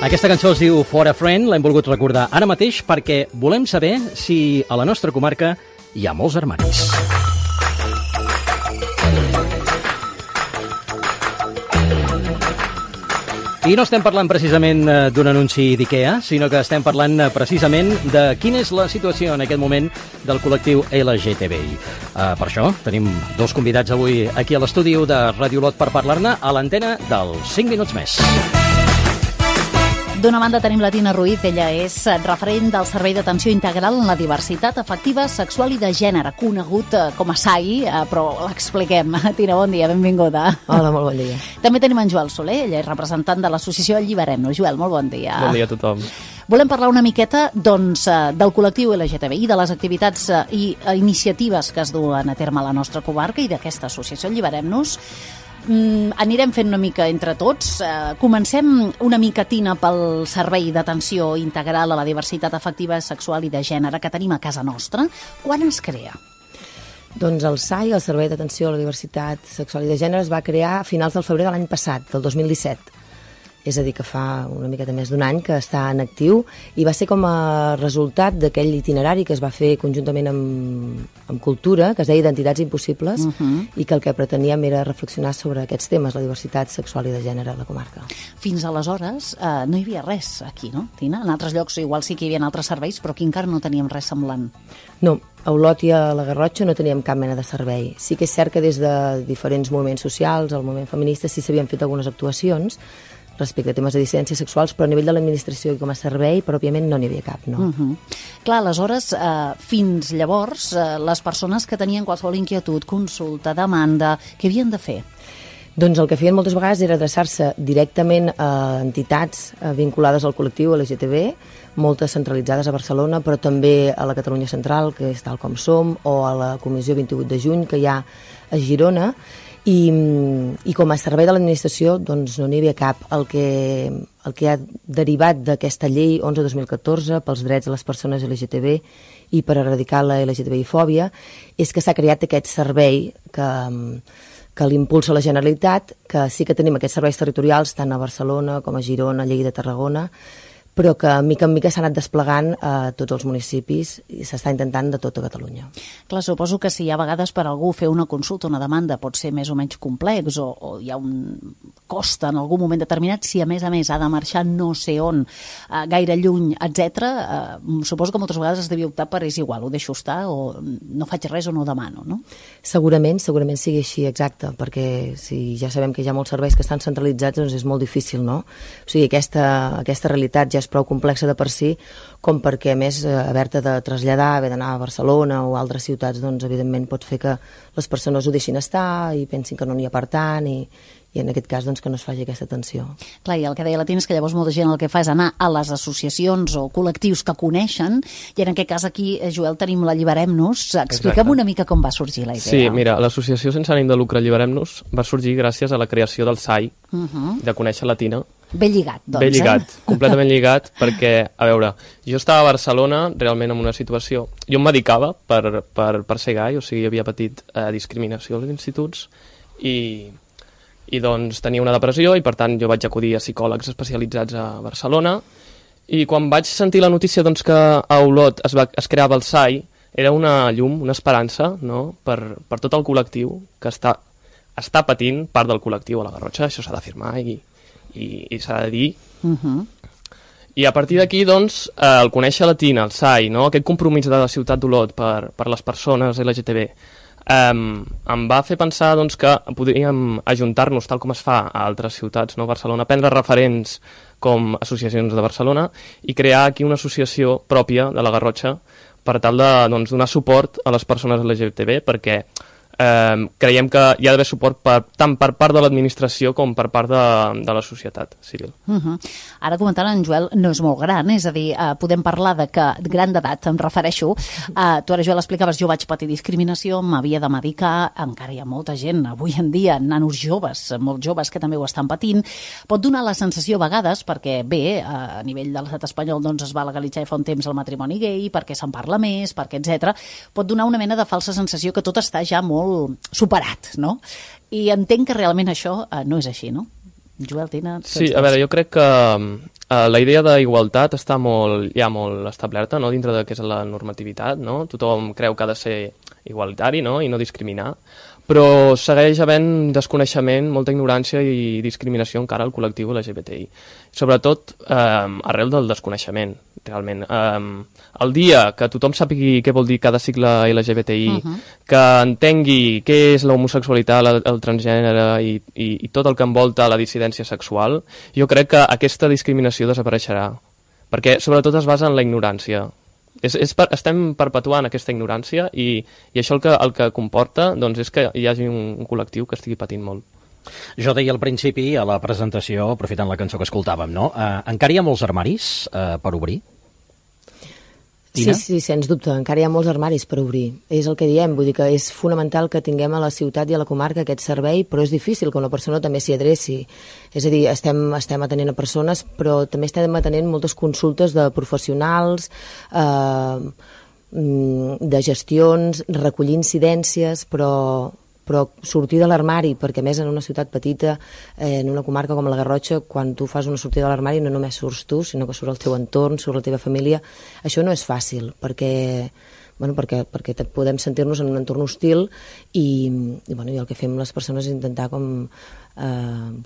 Aquesta cançó es diu For a Friend, l'hem volgut recordar ara mateix perquè volem saber si a la nostra comarca hi ha molts armaris. I no estem parlant precisament d'un anunci d'IKEA, sinó que estem parlant precisament de quina és la situació en aquest moment del col·lectiu LGTBI. Per això tenim dos convidats avui aquí a l'estudi de Ràdio Olot per parlar-ne a l'antena dels 5 minuts més. D'una banda tenim la Tina Ruiz, ella és referent del Servei d'Atenció Integral en la Diversitat Afectiva, Sexual i de Gènere, conegut com a SAI, però l'expliquem. Tina, bon dia, benvinguda. Hola, molt bon dia. També tenim en Joel Soler, ella és representant de l'associació Alliberem-nos. Joel, molt bon dia. Bon dia a tothom. Volem parlar una miqueta doncs, del col·lectiu LGTBI, de les activitats i iniciatives que es duen a terme a la nostra comarca i d'aquesta associació Alliberem-nos. Anirem fent una mica entre tots. Comencem una mica, Tina, pel Servei d'Atenció Integral a la Diversitat Afectiva, Sexual i de Gènere que tenim a casa nostra. Quan es crea? Doncs el SAI, el Servei d'Atenció a la Diversitat Sexual i de Gènere, es va crear a finals del febrer de l'any passat, del 2017. És a dir, que fa una miqueta més d'un any que està en actiu i va ser com a resultat d'aquell itinerari que es va fer conjuntament amb Cultura, que es deia Identitats Impossibles, i que el que preteníem era reflexionar sobre aquests temes, la diversitat sexual i de gènere a la comarca. Fins aleshores no hi havia res aquí, no, Tina? En altres llocs igual sí que hi havia altres serveis, però aquí encara no teníem res semblant. No, a Olot i a la Garrotxa no teníem cap mena de servei. Sí que és cert que des de diferents moviments socials, el moviment feminista, sí s'havien fet algunes actuacions respecte a temes de dissidències sexuals, però a nivell de l'administració i com a servei, pròpiament no n'hi havia cap, no. Clar, aleshores, fins llavors, les persones que tenien qualsevol inquietud, consulta, demanda, què havien de fer? Doncs el que feien moltes vegades era adreçar-se directament a entitats vinculades al col·lectiu LGTB, moltes centralitzades a Barcelona, però també a la Catalunya Central, que és tal com som, o a la Comissió 28 de juny, que hi ha a Girona, i com a servei de l'administració doncs no n'hi havia cap. El que ha derivat d'aquesta llei 11-2014 pels drets de les persones LGTB i per erradicar la LGTBI-fòbia és que s'ha creat aquest servei que l'impulsa la Generalitat, que sí que tenim aquests serveis territorials tant a Barcelona com a Girona, Lleida, Tarragona, però que mica en mica s'ha anat desplegant a tots els municipis i s'està intentant de tota Catalunya. Clar, suposo que si hi ha vegades per algú fer una consulta, una demanda, pot ser més o menys complex o hi ha un cost en algun moment determinat, si a més ha de marxar no sé on, gaire lluny, etc. Suposo que moltes vegades es devia optar per és igual, ho deixo estar o no faig res o no demano, no? Segurament sigui així, exacte, perquè si ja sabem que hi ha molts serveis que estan centralitzats, doncs és molt difícil, no? O sigui, aquesta realitat ja és prou complexa de per si, com perquè, a més, haver-te de traslladar, haver d'anar a Barcelona o a altres ciutats, doncs, evidentment, pot fer que les persones ho deixin estar i pensin que no n'hi ha per tant i en aquest cas doncs, que no es faci aquesta atenció. Clar, i el que deia la Tina és que llavors molta gent el que fa és anar a les associacions o col·lectius que coneixen, i en aquest cas aquí, Joel, tenim l'Alliberem-nos. Explica'm una mica com va sorgir la idea. Sí, mira, l'associació sense ànim de lucre Alliberem-nos va sorgir gràcies a la creació del SAI, de conèixer la Tina. Ben lligat, doncs. Ben lligat, completament lligat, perquè, a veure, jo estava a Barcelona realment en una situació... Jo em medicava per ser gai, o sigui, havia patit discriminació als instituts i doncs tenia una depressió i per tant jo vaig acudir a psicòlegs especialitzats a Barcelona i quan vaig sentir la notícia doncs, que a Olot es creava el SAI era una llum, una esperança, no? per tot el col·lectiu que està patint part del col·lectiu a la Garrotxa, això s'ha d'afirmar i s'ha de dir. I a partir d'aquí, doncs, el conèixer la Tina, el SAI, no? Aquest compromís de la ciutat d'Olot per les persones LGTB, em va fer pensar doncs, que podríem ajuntar-nos tal com es fa a altres ciutats, no? Barcelona, prendre referents com associacions de Barcelona i crear aquí una associació pròpia de la Garrotxa per tal de donar suport a les persones LGTB, perquè creiem que hi ha d'haver suport tant per part de l'administració com per part de la societat civil. Ara comentant en Joel no és molt gran, és a dir, podem parlar de que gran d'edat, em refereixo, tu ara Joel explicaves, jo vaig patir discriminació, m'havia de medicar, encara hi ha molta gent avui en dia, nanos joves, molt joves que també ho estan patint, pot donar la sensació a vegades, perquè bé, a nivell de l'estat espanyol doncs es va legalitzar fa un temps el matrimoni gai, perquè se'n parla més, perquè etc. Pot donar una mena de falsa sensació que tot està ja molt superat, no? I entenc que realment això no és així, no? Joel, Tina... Sí, a veure, jo crec que la idea d'igualtat està ja molt establerta, no?, dintre de què és la normativitat, no? Tothom creu que ha de ser igualitari, no?, i no discriminar, però segueix havent desconeixement, molta ignorància i discriminació encara al col·lectiu LGBTI. Sobretot arrel del desconeixement, realment. El dia que tothom sàpigui què vol dir cada sigle LGBTI, que entengui què és l'homosexualitat, el transgènere i tot el que envolta la dissidència sexual, jo crec que aquesta discriminació desapareixerà, perquè sobretot es basa en la ignorància. Estem perpetuant aquesta ignorància i això el que comporta doncs, és que hi hagi un col·lectiu que estigui patint molt. Jo deia al principi, a la presentació, aprofitant la cançó que escoltàvem, no? Encara hi ha molts armaris per obrir? Sí, sens dubte, encara hi ha molts armaris per obrir. És el que diem, vull dir que és fonamental que tinguem a la ciutat i a la comarca aquest servei, però és difícil que una persona també s'hi adreci. És a dir, estem atenent a persones, però també estem atenent moltes consultes de professionals, de gestions, recollir incidències, però sortir de l'armari, perquè a més en una ciutat petita, en una comarca com la Garrotxa, quan tu fas una sortida de l'armari no només surts tu, sinó que surt el teu entorn, surt la teva família. Això no és fàcil, perquè podem sentir-nos en un entorn hostil i el que fem les persones és intentar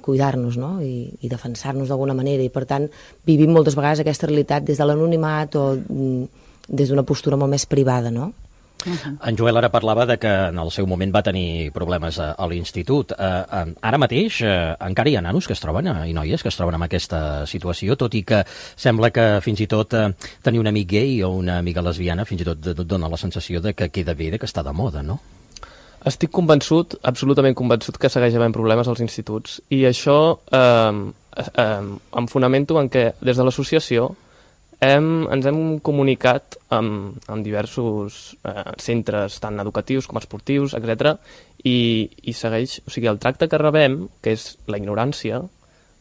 cuidar-nos, no? I defensar-nos d'alguna manera, i per tant vivim moltes vegades aquesta realitat des de l'anonimat o des d'una postura molt més privada, no? En Joel ara parlava de que en el seu moment va tenir problemes a l'institut. Ara mateix encara hi ha nanos que es troben, i noies que es troben en aquesta situació, tot i que sembla que fins i tot tenir un amic gay o una amiga lesbiana fins i tot dona la sensació de que queda bé, que està de moda, no? Estic convençut, absolutament convençut, que segueix havent problemes als instituts. I això em fonamento en què des de l'associació ens hem comunicat amb diversos centres, tant educatius com esportius, etc. I segueix, o sigui, el tracte que rebem, que és la ignorància,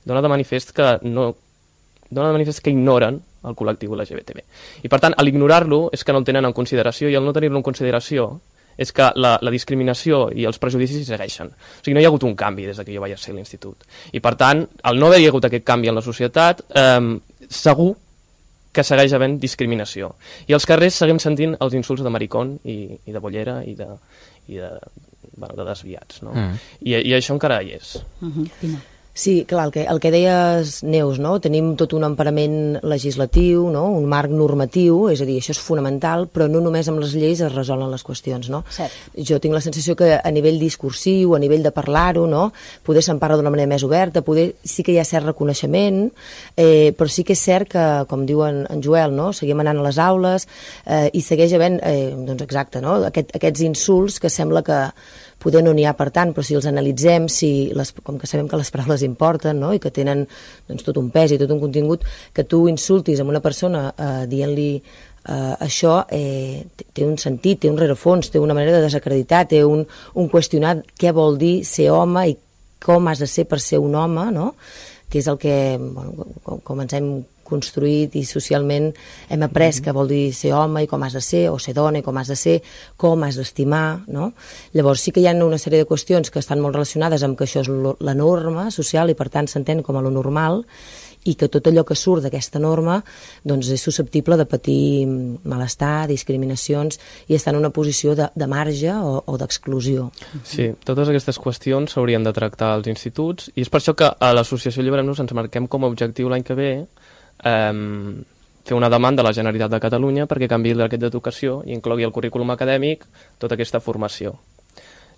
dona de manifest que ignoren el col·lectiu LGBTB. I per tant, a l'ignorar-lo és que no el tenen en consideració, i al no tenir-lo en consideració és que la discriminació i els prejudicis segueixen. O sigui, no hi ha hagut un canvi des que jo vaig ser a l'institut. I per tant, al no haver-hi hagut aquest canvi en la societat, segur que segueix havent discriminació. I als carrers seguim sentint els insults de maricón i de bollera i de desviats, no? I això encara hi és. Sí, clar, el que deies, Neus, no? Tenim tot un emparament legislatiu, no? Un marc normatiu, és a dir, això és fonamental, però no només amb les lleis es resolen les qüestions, no? Cert. Jo tinc la sensació que a nivell discursiu, a nivell de parlar-ho, no? Poder se'n parla d'una manera més oberta, sí que hi ha cert reconeixement, però sí que és cert que, com diu en Joel, no? Seguim anant a les aules i segueix havent, doncs exacte, no? Aquests insults que sembla que poder no n'hi ha per tant, però si els analitzem, com que sabem que les paraules importen, no? I que tenen doncs, tot un pes i tot un contingut, que tu insultis a una persona dient-li això té un sentit, té un rerefons, té una manera de desacreditar, té un qüestionar què vol dir ser home i com has de ser per ser un home, no? Que és el que, com ens hem construït i socialment hem après que vol dir ser home i com has de ser, o ser dona i com has de ser, com has d'estimar, no? Llavors sí que hi ha una sèrie de qüestions que estan molt relacionades amb que això és la norma social i per tant s'entén com a lo normal, i que tot allò que surt d'aquesta norma doncs és susceptible de patir malestar, discriminacions i estar en una posició de marge o d'exclusió. Sí, totes aquestes qüestions s'haurien de tractar als instituts i és per això que a l'Associació Alliberem-nos ens marquem com a objectiu l'any que ve fer una demanda a la Generalitat de Catalunya perquè canviï el decret d'educació i inclogui el currículum acadèmic tota aquesta formació.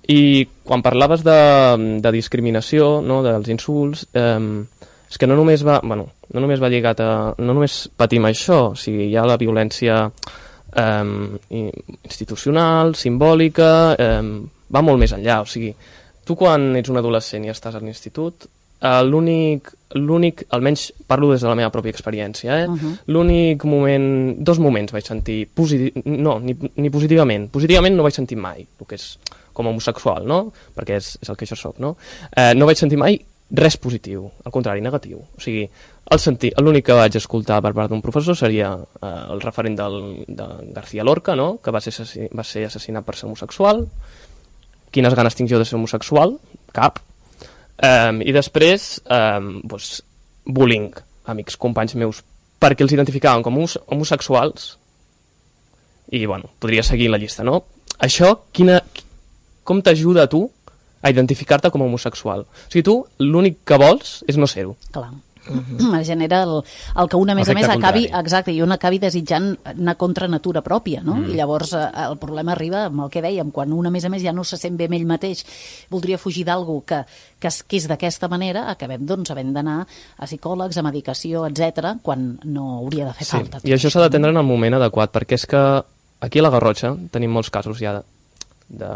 I quan parlaves de discriminació, no, dels insults, és que no només va lligat a... no només patim això, o sigui, hi ha la violència institucional, simbòlica, va molt més enllà, o sigui, tu quan ets un adolescent i estàs a l'institut, l'únic, almenys parlo des de la meva pròpia experiència, l'únic moment, dos moments vaig sentir, ni positivament no vaig sentir mai, el que és com a homosexual, no? Perquè és el que jo soc, no? No vaig sentir mai res positiu, al contrari, negatiu. O sigui, l'únic que vaig escoltar per part d'un professor seria el referent de García Lorca, no? Que va ser assassinat per ser homosexual. Quines ganes tinc jo de ser homosexual? Cap. I després, bullying amics, companys meus, perquè els identificaven com homosexuals, i, bueno, podria seguir la llista, no? Això, com t'ajuda a tu a identificar-te com a homosexual? O sigui, tu l'únic que vols és no ser-ho. Clar. Genera el que una, a més acabi, exacte, i un acabi desitjant anar contra natura pròpia, no? I llavors el problema arriba amb el que dèiem, quan un a més ja no se sent bé amb ell mateix, voldria fugir d'algú que és d'aquesta manera, acabem doncs havent d'anar a psicòlegs, a medicació, etc, quan no hauria de fer falta. I això s'ha d'atendre en el moment adequat, perquè és que aquí a la Garrotxa tenim molts casos ja de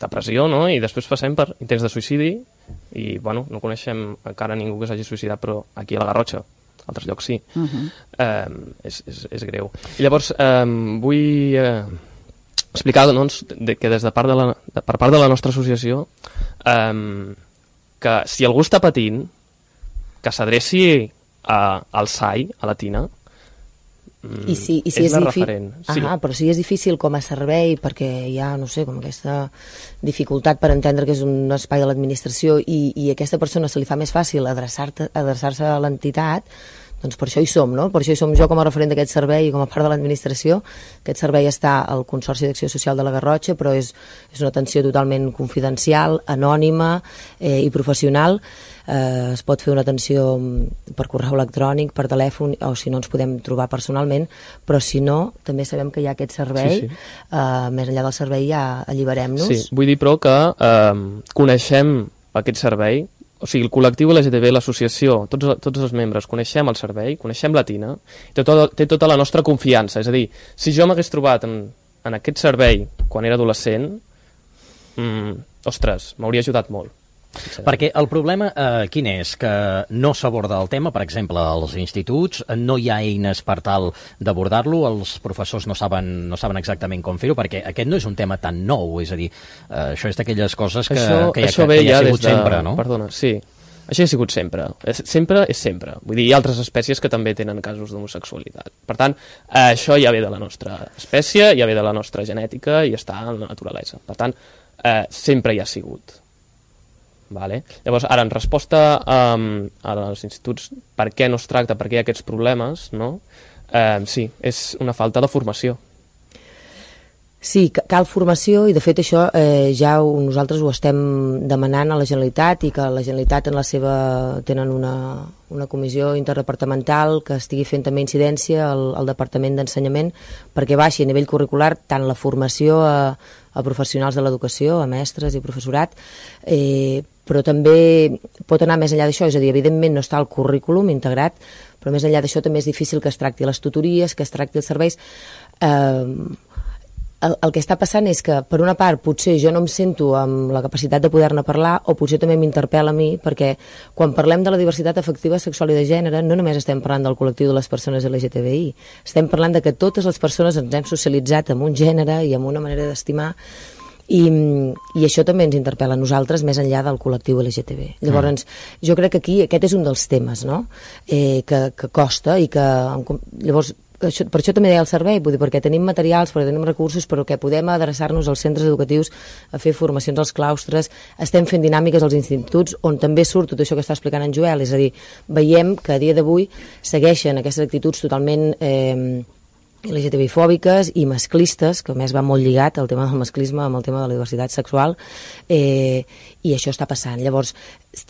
depressió, no? I després passem per intents de suïcidi i, bueno, no coneixem encara ningú que s'hagi suïcidat, però aquí a la Garrotxa, a altres llocs sí. És greu. I llavors vull explicar, doncs, que per part de la nostra associació, que si algú està patint, que s'adreci al SAI, a la Tina, I si és la referent. Sí. Però si és difícil com a servei, perquè hi ha, no sé, com aquesta dificultat per entendre que és un espai de l'administració i a aquesta persona se li fa més fàcil adreçar-se a l'entitat, doncs per això hi som, no? Per això hi som jo com a referent d'aquest servei i com a part de l'administració. Aquest servei està al Consorci d'Acció Social de la Garrotxa, però és una atenció totalment confidencial, anònima i professional. Es pot fer una atenció per correu electrònic, per telèfon, o si no ens podem trobar personalment, però si no, també sabem que hi ha aquest servei. Més enllà del servei ja alliberem-nos. Sí, vull dir però que coneixem aquest servei, o sigui, el col·lectiu LGTB, l'associació, tots els membres, coneixem el servei, coneixem la Tina, té tota la nostra confiança. És a dir, si jo m'hagués trobat en aquest servei quan era adolescent, ostres, m'hauria ajudat molt. Perquè el problema quin és? Que no s'aborda el tema, per exemple, als instituts, no hi ha eines per tal d'abordar-lo, els professors no saben exactament com fer-ho, perquè aquest no és un tema tan nou, és a dir, això és d'aquelles coses que ja ha sigut sempre, no? Perdona, sí. Això ha sigut sempre. Sempre és sempre. Vull dir, hi ha altres espècies que també tenen casos d'homosexualitat. Per tant, això ja ve de la nostra espècie, ja ve de la nostra genètica i està en la naturalesa. Per tant, sempre hi ha sigut. Vale. Llavors, ara, en resposta als instituts, per què no es tracta, per què hi ha aquests problemes, no? Sí, és una falta de formació. Sí, cal formació i de fet això ja nosaltres ho estem demanant a la Generalitat i que la Generalitat tenen una comissió interdepartamental que estigui fent també incidència al Departament d'Ensenyament perquè baixi a nivell curricular tant la formació a professionals de l'educació, a mestres i professorat, però també pot anar més enllà d'això, és a dir, evidentment no està al currículum integrat, però més enllà d'això també és difícil que es tracti les tutories, que es tracti els serveis. El que està passant és que, per una part, potser jo no em sento amb la capacitat de poder-ne parlar o potser també m'interpel·la a mi, perquè quan parlem de la diversitat afectiva, sexual i de gènere, no només estem parlant del col·lectiu de les persones LGTBI, estem parlant de que totes les persones ens hem socialitzat amb un gènere i amb una manera d'estimar i això també ens interpel·la a nosaltres més enllà del col·lectiu LGTB. Llavors, jo crec que aquí aquest és un dels temes, no? Que costa i que... Llavors, per això també deia el servei, vull dir, perquè tenim materials, perquè tenim recursos, però que podem adreçar-nos als centres educatius a fer formacions als claustres, estem fent dinàmiques als instituts on també surt tot això que està explicant en Joel, és a dir, veiem que a dia d'avui segueixen aquestes actituds totalment LGTBI-fòbiques i masclistes, que a més va molt lligat el tema del masclisme amb el tema de la diversitat sexual, i això està passant. Llavors,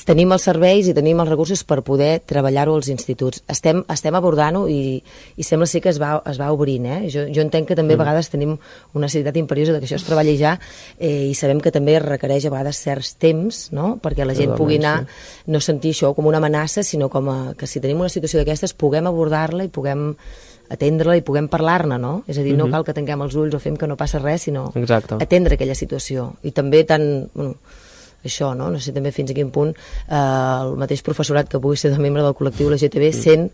tenim els serveis i tenim els recursos per poder treballar-ho als instituts. Estem abordant-ho i sembla ser que es va obrint. Jo entenc que també a vegades tenim una necessitat imperiosa que això es treballi ja i sabem que també requereix a vegades certs temps, no? Perquè la gent pugui anar, no sentir això com una amenaça, sinó com que si tenim una situació d'aquestes puguem abordar-la i puguem atendre-la i puguem parlar-ne, no? És a dir, no cal que tanquem els ulls o fem que no passa res, sinó atendre aquella situació. I també això, no? No sé també fins a quin punt el mateix professorat que pugui ser de membre del col·lectiu LGTB sent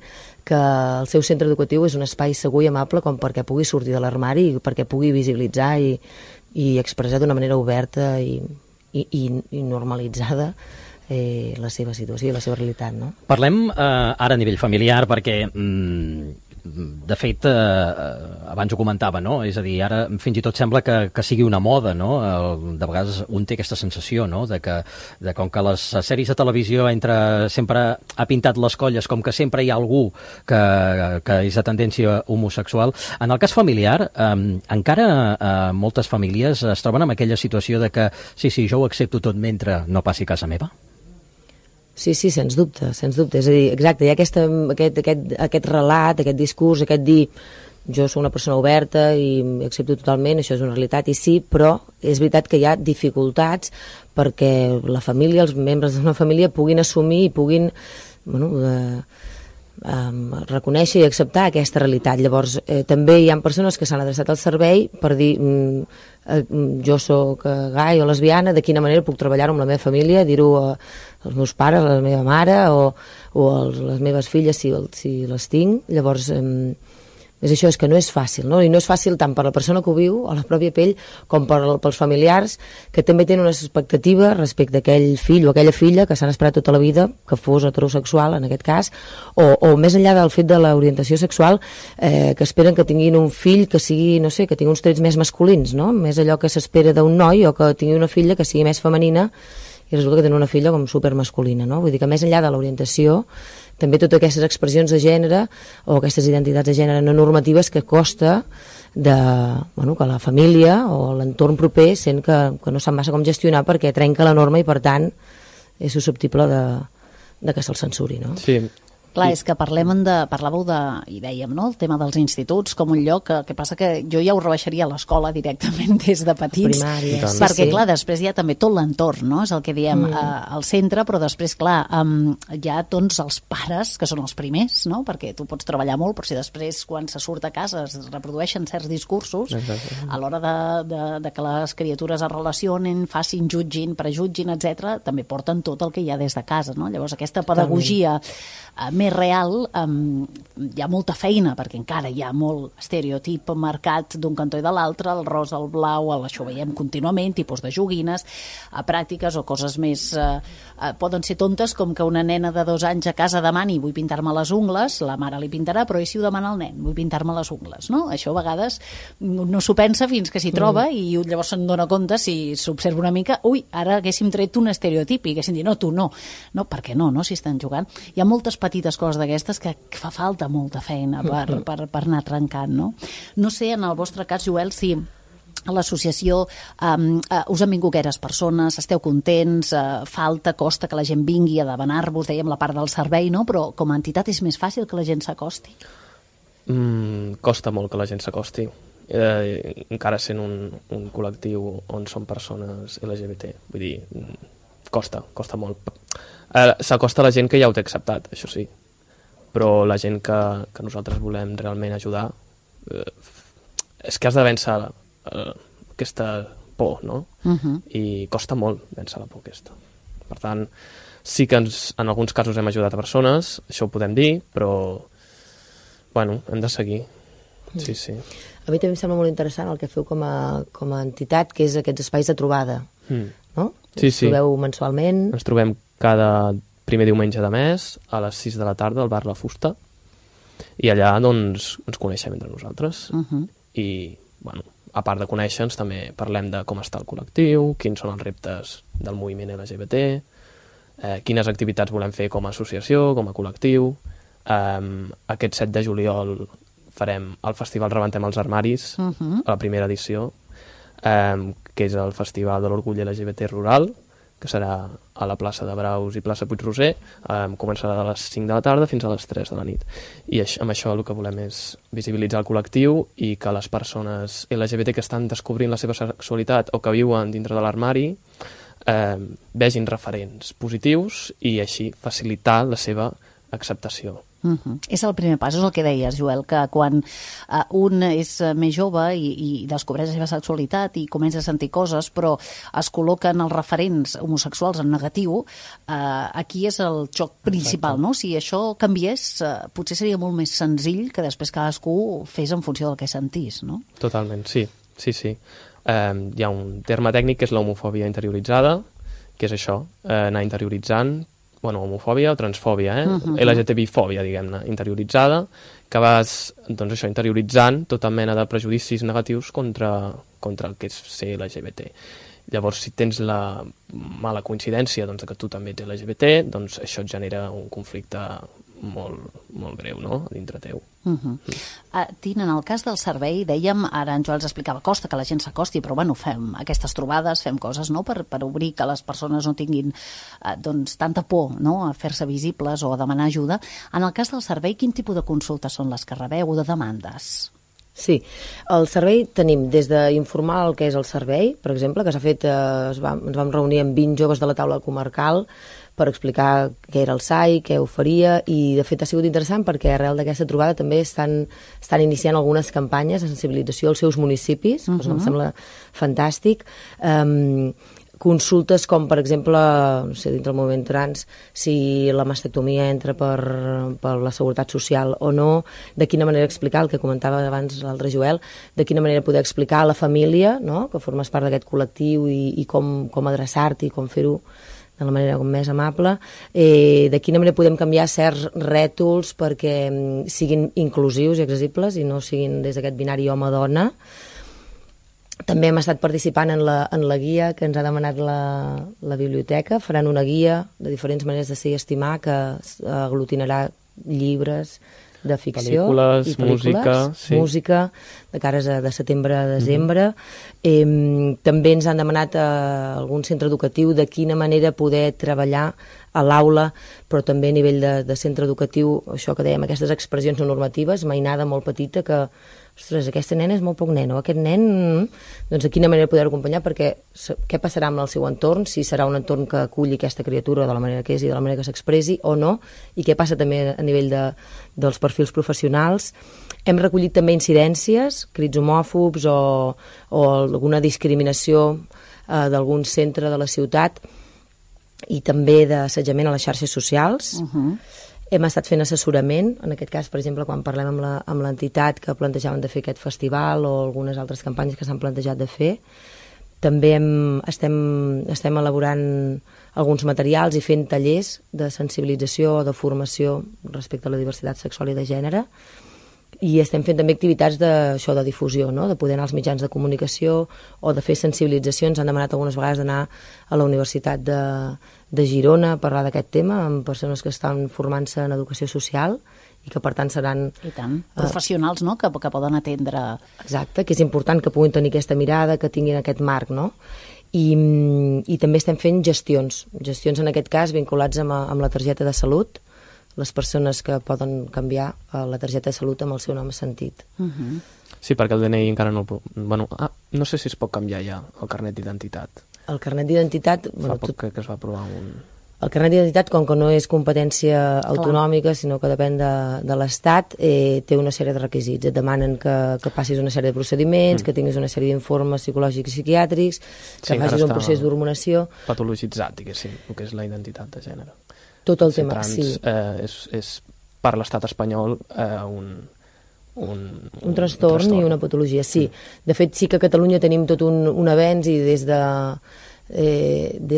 que el seu centre educatiu és un espai segur i amable com perquè pugui sortir de l'armari i perquè pugui visibilitzar i expressar d'una manera oberta i normalitzada la seva situació i la seva realitat, no? Parlem ara a nivell familiar perquè de fet, abans ho comentava, no? És a dir, ara fins i tot sembla que sigui una moda, no? De vegades un té aquesta sensació, no? De com que les sèries de televisió sempre ha pintat les colles, com que sempre hi ha algú que és de tendència homosexual. En el cas familiar, encara moltes famílies es troben en aquella situació de que sí, jo ho accepto tot mentre no passi a casa meva? Sí, sens dubte, És a dir, exacte, hi ha aquest relat, aquest discurs, aquest dir jo sóc una persona oberta i accepto totalment, això és una realitat, i sí, però és veritat que hi ha dificultats perquè la família, els membres d'una família puguin assumir i puguin reconèixer i acceptar aquesta realitat. Llavors, també hi ha persones que s'han adreçat al servei per dir jo sóc gai o lesbiana, de quina manera puc treballar-ho amb la meva família, dir-ho als meus pares, a la meva mare o a les meves filles si les tinc. Llavors, és això, és que no és fàcil, no? I no és fàcil tant per la persona que ho viu, a la pròpia pell, com pels familiars, que també tenen unes expectatives respecte a aquell fill o aquella filla que s'han esperat tota la vida que fos heterosexual, en aquest cas, o més enllà del fet de l'orientació sexual, que esperen que tinguin un fill que sigui, no sé, que tingui uns trets més masculins, no? Més allò que s'espera d'un noi, o que tingui una filla que sigui més femenina, i resulta que tenen una filla com supermasculina, no? Vull dir que més enllà de l'orientació, també totes aquestes expressions de gènere o aquestes identitats de gènere no normatives que costa que la família o l'entorn proper sent que no sap massa com gestionar perquè trenca la norma i per tant és susceptible de que se'l censuri, no? Sí. Clar, és que parlàveu i dèiem, no?, el tema dels instituts com un lloc, que passa que jo ja ho rebaixaria a l'escola directament des de petits, primària, perquè clar, després hi ha també tot l'entorn, no?, és el que diem al centre, però després, clar, hi ha doncs els pares, que són els primers, no?, perquè tu pots treballar molt, però si després quan se surt a casa es reprodueixen certs discursos, a l'hora de que les criatures es relacionen, facin, jutgin, prejutgin, etc., també porten tot el que hi ha des de casa, no? Llavors aquesta pedagogia més real, hi ha molta feina, perquè encara hi ha molt estereotip marcat d'un cantó i de l'altre, el rosa, el blau, això ho veiem contínuament, tipus de joguines, pràctiques o coses més... poden ser tontes, com que una nena de 2 anys a casa demani vull pintar-me les ungles, la mare li pintarà, però i si ho demana el nen, vull pintar-me les ungles, no? Això a vegades no s'ho pensa fins que s'hi troba i llavors se'n dona compte, si s'observa una mica, ui, ara haguéssim tret un estereotip i haguéssim dit, no, tu no. No, per què no, si estan jugant? Hi ha moltes petites coses d'aquestes que fa falta molta feina per anar trencant, no? No sé, en el vostre cas, Joel, si a l'associació us han vingut gaires persones, esteu contents, costa que la gent vingui a demanar-vos, dèiem la part del servei, no? Però com a entitat és més fàcil que la gent s'acosti? Costa molt que la gent s'acosti, encara sent un col·lectiu on són persones LGBT, vull dir, costa molt. S'acosta la gent que ja ho té acceptat, això sí, però la gent que nosaltres volem realment ajudar és que has de vèncer aquesta por, no? I costa molt vèncer la por aquesta. Per tant, sí que en alguns casos hem ajudat a persones, això ho podem dir, però bueno, hem de seguir. Sí. A mi també em sembla molt interessant el que feu com a entitat, que és aquests espais de trobada, no? Sí. Us trobeu mensualment? Ens trobem cada primer diumenge de mes a les 6 de la tarda al bar La Fusta i allà doncs ens coneixem entre nosaltres i bueno, a part de conèixer-nos també parlem de com està el col·lectiu, quins són els reptes del moviment LGBT, quines activitats volem fer com a associació, com a col·lectiu. Aquest 7 de juliol farem el festival Rebentem els Armaris, a la primera edició, que és el Festival de l'Orgull LGBT Rural, que serà a la plaça de Braus i plaça Puig-roser, començarà a les 5 de la tarda fins a les 3 de la nit. I amb això el que volem és visibilitzar el col·lectiu i que les persones LGBT que estan descobrint la seva sexualitat o que viuen dintre de l'armari vegin referents positius i així facilitar la seva acceptació. És el primer pas, és el que deies, Joel, que quan un és més jove i descobreix la seva sexualitat i comença a sentir coses, però es col·loquen els referents homosexuals en negatiu, aquí és el xoc principal, no? Si això canviés, potser seria molt més senzill que després cadascú fes en funció del que sentís, no? Totalment, sí. Hi ha un terme tècnic que és l'homofòbia interioritzada, que és això, anar interioritzant homofòbia o transfòbia, LGTBI-fòbia, diguem-ne, interioritzada, que vas, doncs això, interioritzant tota mena de prejudicis negatius contra el que és ser LGBT. Llavors, si tens la mala coincidència doncs, que tu també ets LGBT, doncs això et genera un conflicte molt greu, no?, dintre teu. Tina, en el cas del servei, dèiem, ara en Joel ens explicava, costa que la gent s'acosti, però bueno, fem aquestes trobades, fem coses, no?, per obrir que les persones no tinguin doncs tanta por, no?, a fer-se visibles o a demanar ajuda. En el cas del servei, quin tipus de consultes són les que rebeu o de demandes? Sí, el servei tenim des d'informar el que és el servei, per exemple, que s'ha fet, ens vam reunir amb 20 joves de la taula comarcal per explicar què era el SAI, què oferia, i de fet ha sigut interessant perquè arrel d'aquesta trobada també estan iniciant algunes campanyes de sensibilització als seus municipis, cosa que em sembla fantàstic. Consultes com, per exemple, no sé, dintre el moviment trans, si la mastectomia entra per la seguretat social o no, de quina manera explicar, el que comentava abans l'altre Joel, de quina manera poder explicar a la família, no?, que formes part d'aquest col·lectiu i com adreçar-t'hi i com fer-ho de la manera més amable, de quina manera podem canviar certs rètols perquè siguin inclusius i accessibles i no siguin des d'aquest binari home-dona. També hem estat participant en la guia que ens ha demanat la biblioteca. Faran una guia de diferents maneres de ser i estimar que aglutinarà llibres de ficció, pel·lícules, música, de cares de setembre a desembre. També ens han demanat a algun centre educatiu de quina manera poder treballar a l'aula, però també a nivell de centre educatiu, això que dèiem, aquestes expressions no normatives, mainada molt petita, que ostres, aquesta nena és molt poc nen, o aquest nen, doncs de quina manera poder acompanyar, perquè què passarà amb el seu entorn, si serà un entorn que aculli aquesta criatura de la manera que és i de la manera que s'expressi o no, i què passa també a nivell dels perfils professionals. Hem recollit també incidències, crits homòfobs o alguna discriminació d'algun centre de la ciutat i també d'assetjament a les xarxes socials. Hem estat fent assessorament, en aquest cas, per exemple, quan parlem amb l'entitat que plantejaven de fer aquest festival o algunes altres campanyes que s'han plantejat de fer. També estem elaborant alguns materials i fent tallers de sensibilització o de formació respecte a la diversitat sexual i de gènere. I estem fent també activitats de difusió, no?, de poder anar als mitjans de comunicació o de fer sensibilització. Ens han demanat algunes vegades d'anar a la Universitat de Girona a parlar d'aquest tema amb persones que estan formant-se en educació social i que per tant seran... I tant, professionals, no?, que poden atendre... Exacte, que és important que puguin tenir aquesta mirada, que tinguin aquest marc, no? I també estem fent gestions en aquest cas vinculats amb la targeta de salut, les persones que poden canviar la targeta de salut amb el seu nom sentit. Sí, perquè el DNI encara no... no sé si es pot canviar ja el carnet d'identitat. El carnet d'identitat... Fa poc que es va aprovar un... El carnet d'identitat, com que no és competència autonòmica, sinó que depèn de l'Estat, té una sèrie de requisits. Et demanen que passis una sèrie de procediments, que tinguis una sèrie d'informes psicològics i psiquiàtrics, que facis un procés d'hormonació... Patologitzat, diguéssim, el que és la identitat de gènere. Tot el tema, trans, sí. És per l'estat espanyol un trastorn i una patologia, sí. De fet, sí que a Catalunya tenim tot un avenç i des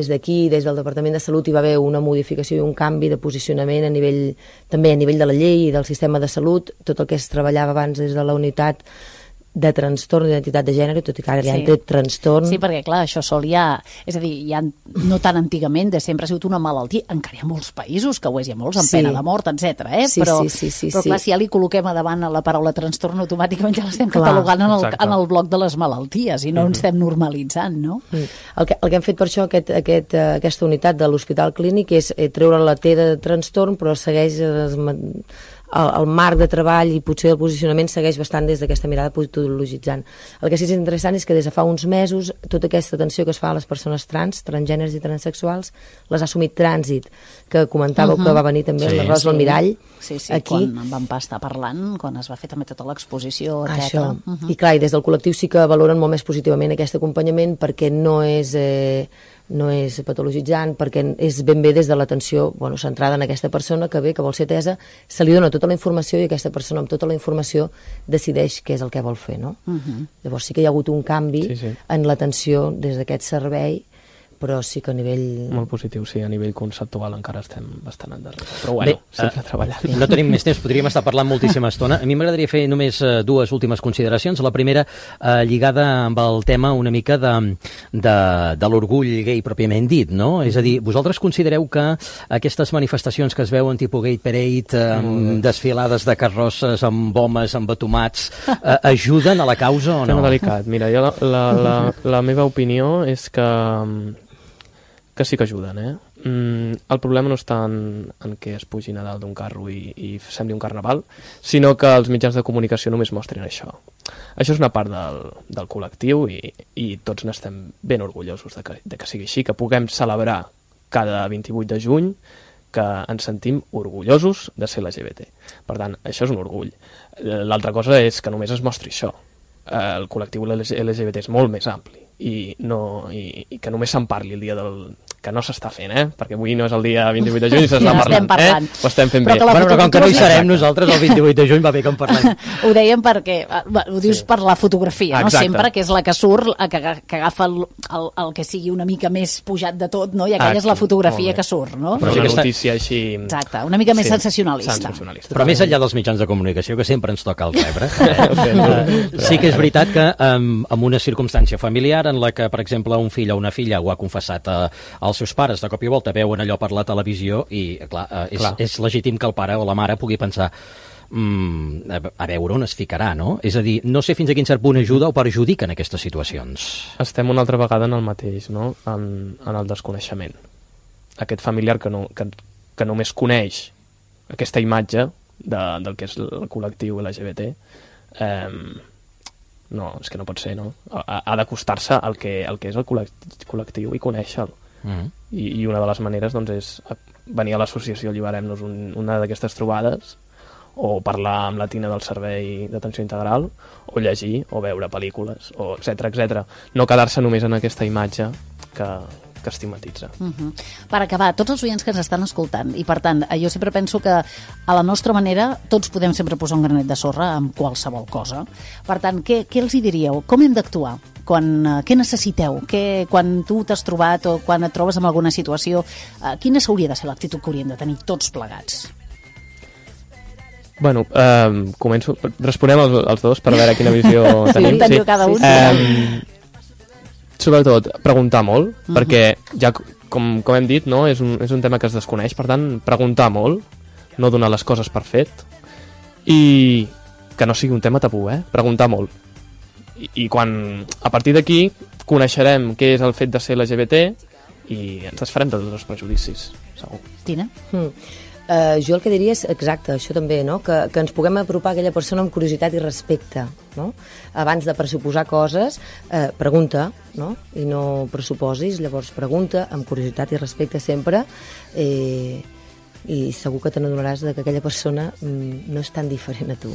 d'aquí, des del Departament de Salut, hi va haver una modificació i un canvi de posicionament també a nivell de la llei i del sistema de salut, tot el que es treballava abans des de la unitat de trastorn d'identitat de gènere, tot i que ara ja en té trastorn. Sí, perquè clar, això sol ja... És a dir, ja no tan antigament, de sempre ha sigut una malaltia. Encara hi ha molts països que ho és, hi ha molts amb pena de mort, etc. Però clar, si ja li col·loquem a davant la paraula trastorn, automàticament ja l'estem catalogant en el bloc de les malalties i no ens estem normalitzant, no? El que hem fet per això, aquesta unitat de l'Hospital Clínic, és treure la T de trastorn, però segueix el marc de treball i potser el posicionament segueix bastant des d'aquesta mirada patologitzant. El que sí que és interessant és que des de fa uns mesos tota aquesta atenció que es fa a les persones transgèneres i transsexuals les ha assumit Trànsit, que comentàveu que va venir també la Rosa Almirall aquí. Quan en vam estar parlant, quan es va fer també tota l'exposició, etc. I clar, i des del col·lectiu sí que valoren molt més positivament aquest acompanyament perquè no és patologitzant, perquè és ben bé des de l'atenció centrada en aquesta persona que ve, que vol ser atesa, se li dona tota la informació i aquesta persona amb tota la informació decideix què és el que vol fer, no? Llavors sí que hi ha hagut un canvi en l'atenció des d'aquest servei però sí que a nivell... Molt positiu, sí, a nivell conceptual encara estem bastant endarrere. Però bueno, sempre treballant. No tenim més temps, podríem estar parlant moltíssima estona. A mi m'agradaria fer només dues últimes consideracions. La primera, lligada amb el tema una mica de l'orgull gai pròpiament dit, no? És a dir, vosaltres considereu que aquestes manifestacions que es veuen tipus Gay Parade, amb desfilades de carrosses, amb homes, amb batomats, ajuden a la causa o no? Tema delicat. Mira, jo la meva opinió és que sí que ajuden, el problema no està en què es pugin a dalt d'un carro i sembli un carnaval, sinó que els mitjans de comunicació només mostren això. Això és una part del col·lectiu i tots n'estem ben orgullosos de que sigui així, que puguem celebrar cada 28 de juny que ens sentim orgullosos de ser LGBT. Per tant, això és un orgull. L'altra cosa és que només es mostri això. El col·lectiu LGBT és molt més ampli i que només se'n parli el dia que no s'està fent, perquè avui no és el dia 28 de juny i s'està parlant. Ho estem fent bé. Però com que no hi serem nosaltres el 28 de juny va bé que en parlem. Ho dèiem perquè, ho dius per la fotografia, no? Sempre, que és la que surt, que agafa el que sigui una mica més pujat de tot, no? I aquella és la fotografia que surt, no? Però una notícia així... Exacte, una mica més sensacionalista. Però més enllà dels mitjans de comunicació, que sempre ens toca el rebre, sí que és veritat que en una circumstància familiar en la que, per exemple, un fill o una filla ho ha confessat als seus pares, de cop i volta veuen allò per la televisió i, clar, és legítim que el pare o la mare pugui pensar a veure on es ficarà, no? És a dir, no sé fins a quin cert punt ajuda o perjudica en aquestes situacions. Estem una altra vegada en el mateix, no? En el desconeixement. Aquest familiar que només coneix aquesta imatge del que és el col·lectiu LGBT, no, és que no pot ser, no? Ha d'acostar-se al que és el col·lectiu i conèixer-lo. I una de les maneres doncs, és venir a l'associació Alliberem-nos una d'aquestes trobades, o parlar amb la Tina del Servei d'Atenció Integral, o llegir, o veure pel·lícules, o etc. No quedar-se només en aquesta imatge que estigmatitza. Per acabar, tots els oients que ens estan escoltant, i per tant, jo sempre penso que a la nostra manera tots podem sempre posar un granet de sorra amb qualsevol cosa. Per tant, què els hi diríeu? Com hem d'actuar? Què necessiteu? Quan tu t'has trobat o quan et trobes en alguna situació, quina hauria de ser l'actitud que hauríem de tenir tots plegats? Bueno, començo. Responem els dos per veure quina visió tenim. Sí, teniu cada un. Sobretot, preguntar molt, perquè ja, com hem dit, no, és un tema que es desconeix, per tant, preguntar molt, no donar les coses per fet, i que no sigui un tema tabú, preguntar molt. I quan, a partir d'aquí, coneixerem què és el fet de ser LGBT i ens desfarem de tots els prejudicis, segur. Tina? Jo el que diria és exacte, això també, no? Que ens puguem apropar a aquella persona amb curiositat i respecte, no? Abans de pressuposar coses, pregunta, no? I no pressuposis, llavors pregunta amb curiositat i respecte sempre, i segur que te n'adonaràs que aquella persona no és tan diferent a tu.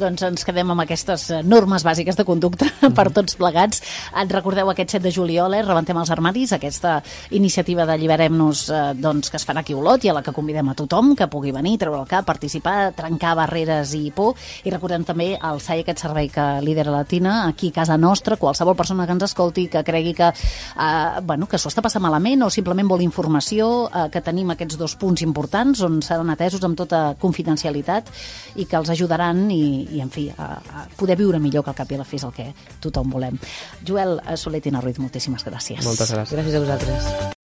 Doncs ens quedem amb aquestes normes bàsiques de conducta per tots plegats. Et recordeu aquest 7 de juliol, Rebentem els armaris, aquesta iniciativa d'Alliberem-nos que es farà aquí a Olot i a la que convidem a tothom que pugui venir, treure el cap, participar, trencar barreres i por. I recordem també el SAI, aquest servei que lidera la Tina, aquí a casa nostra, qualsevol persona que ens escolti, que cregui que s'ho està passant malament o simplement vol informació, que tenim aquests 2 punts importants on seran atesos amb tota confidencialitat i que els ajudaran i en fi, a poder viure millor, que al cap i a la fi és el que tothom volem. Joel Soler, Tina Ruiz, moltíssimes gràcies. Moltes gràcies. Gràcies a vosaltres.